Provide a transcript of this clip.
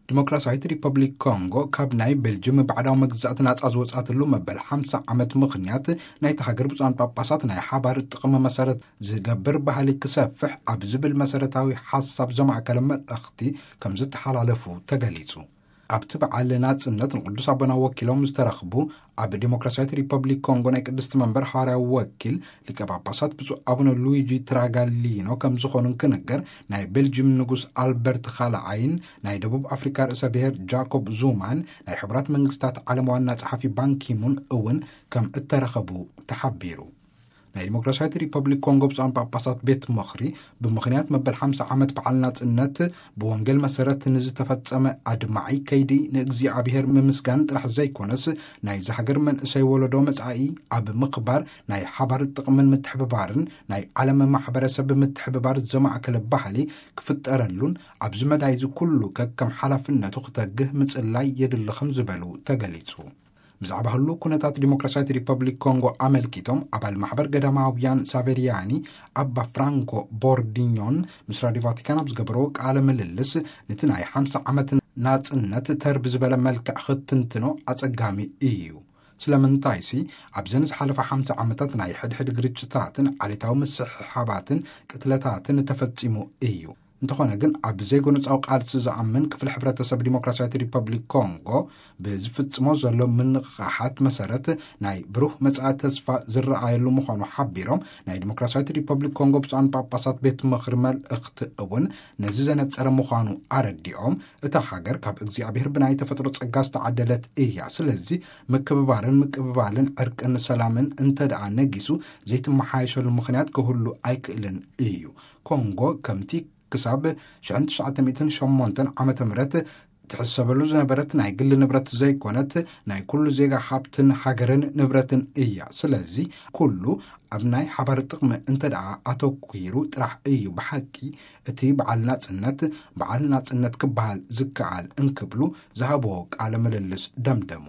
ዲሞክራሲያዊት ሪፐብሊክ ኮንጎ ካብ ናይ ቤልጅም ባዕዳዊ መግዛእቲ ናጻ ዝወጻትሉ መበል ሓምሳ ዓመት ምኽንያት ናይቲ ሃገር ብፁዓን ጳጳሳት ናይ ሓባር ጥቕሚ መሰረት ዝገብር ባህሊ ክሰፍሕ ኣብ ዝብል መሰረታዊ ሓሳብ ዘማእከለ መልእኽቲ ከም ዝተሓላለፉ ተገሊጹ። ኣብቲ በዓል ናጽነት ንቅዱስ ኣቦና ወኪሎም ዝተረኽቡ ኣብ ዲሞክራሲያዊት ሪፐብሊክ ኮንጎ ናይ ቅድስቲ መንበር ሃዋርያዊ ወኪል ሊቀ ጳጳሳት ብፁዕ ኣቡነ ሉዊጂ ትራጋሊኖ ከም ዝኾኑ እንትንገር፣ ናይ ቤልጅም ንጉስ ኣልበርት ካልኣይን ናይ ደቡብ ኣፍሪካ ርእሰ ብሔር ጃኮብ ዙማን ናይ ሕቡራት መንግስታት ዓለም ዋና ጸሓፊ ባንኪሙን እውን ከም እተረኸቡ ተሓቢሩ። ናይ ዲሞክራሲያዊት ሪፐብሊክ ኮንጎ ብፁዓን ጳጳሳት ቤት ምኽሪ ብምኽንያት መበል ሓምሳ ዓመት በዓል ናጽነት ብወንጌል መሰረት ንዝተፈጸመ ኣድማዒ ከይዲ ንእግዚኣብሔር ምምስጋን ጥራሕ ዘይኮነስ፣ ናይዚ ሃገር መንእሰይ ወለዶ መጻኢ ኣብ ምኽባር ናይ ሓባር ጥቕምን ምትሕብባርን ናይ ዓለም ማሕበረሰብ ምትሕብባር ዘማእከለ ባህሊ ክፍጠረሉን ኣብዚ መዳይ እዚ ኩሉ ከከም ሓላፍነቱ ክተግህ ምጽላይ የድሊ ከም ዝበሉ ተገሊጹ። ብዛዕባ ህሉ ኩነታት ዲሞክራሲያዊት ሪፐብሊክ ኮንጎ ኣመልኪቶም ኣባል ማሕበር ገዳማውያን ሳቬሪያኒ ኣባ ፍራንኮ ቦርዲኞን ምስ ራዲዮ ቫቲካን ኣብ ዝገበረዎ ቃለ ምልልስ፣ ነቲ ናይ ሓምሳ ዓመት ናጽነት ተር ብዝበለ መልክዕ ክትንትኖ ኣጸጋሚ እዩ። ስለምንታይሲ ኣብዘን ዝሓለፋ ሓምሳ ዓመታት ናይ ሕድሕድ ግርጭታትን ዓሌታዊ ምስሕሓባትን ቅትለታትን ተፈጺሙ እዩ። እንተኾነ ግን ኣብ ዘይጎነጻዊ ቃልሲ ዝኣምን ክፍሊ ሕብረተሰብ ዲሞክራሲያዊት ሪፐብሊክ ኮንጎ ብዝፍጽሞ ዘሎ ምንቕቓሓት መሰረት ናይ ብሩህ መጻኢ ተስፋ ዝረኣየሉ ምዃኑ ሓቢሮም፣ ናይ ዲሞክራሲያዊት ሪፐብሊክ ኮንጎ ብፁዓን ጳጳሳት ቤት ምኽሪ መልእኽቲ እውን ነዚ ዘነጸረ ምዃኑ ኣረዲኦም፣ እታ ሃገር ካብ እግዚኣብሔር ብናይ ተፈጥሮ ጸጋ ዝተዓደለት እያ። ስለዚ ምክብባርን ምቅብባልን ዕርቅን ሰላምን እንተ ደኣ ነጊሱ ዘይትመሓየሸሉ ምኽንያት ክህሉ ኣይክእልን እዩ። ኮንጎ ከምቲ ክሳብ ሽሕን ትሽዓተ ሚእትን ሸሞንተን ዓመተ ምህረት ትሕሰበሉ ዝነበረት ናይ ግል ንብረት ዘይኮነት፣ ናይ ኩሉ ዜጋ ሃብትን ሃገርን ንብረትን እያ። ስለዚ ኩሉ ኣብ ናይ ሓባር ጥቕሚ እንተ ደኣ ኣተኲሩ ጥራሕ እዩ ብሓቂ እቲ በዓል ናጽነት፣ በዓል ናጽነት ክበሃል ዝከኣል እንክብሉ ዝሃብዎ ቃለ ምልልስ ደምደሙ።